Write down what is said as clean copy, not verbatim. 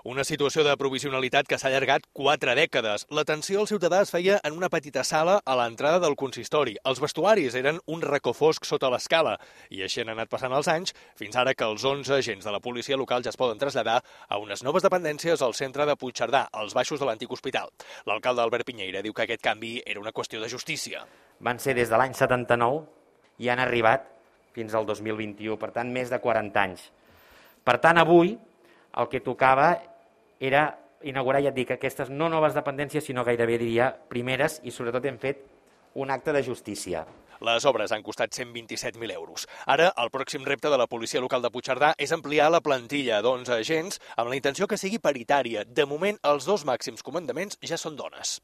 Una situació de provisionalitat que s'ha allargat 4 dècades. L'atenció al ciutadà es feia en una petita sala a l'entrada del consistori. Els vestuaris eren un racó fosc sota l'escala i així han anat passant els anys fins ara que els 11 agents de la policia local ja es poden traslladar a unes noves dependències al centre de Puigcerdà, als baixos de l'antic hospital. L'alcalde Albert Piñeira diu que aquest canvi era una qüestió de justícia. Van ser des de l'any 79 i han arribat fins al 2021, per tant, més de 40 anys. Per tant, avui el que tocava era inaugurar, ja et dic, aquestes no noves dependències, sinó gairebé, diria, primeres, i sobretot hem fet un acte de justícia. Les obres han costat 127.000 euros. Ara, el pròxim repte de la policia local de Puigcerdà és ampliar la plantilla d'11 agents amb la intenció que sigui paritària. De moment, els 2 màxims comandaments ja són dones.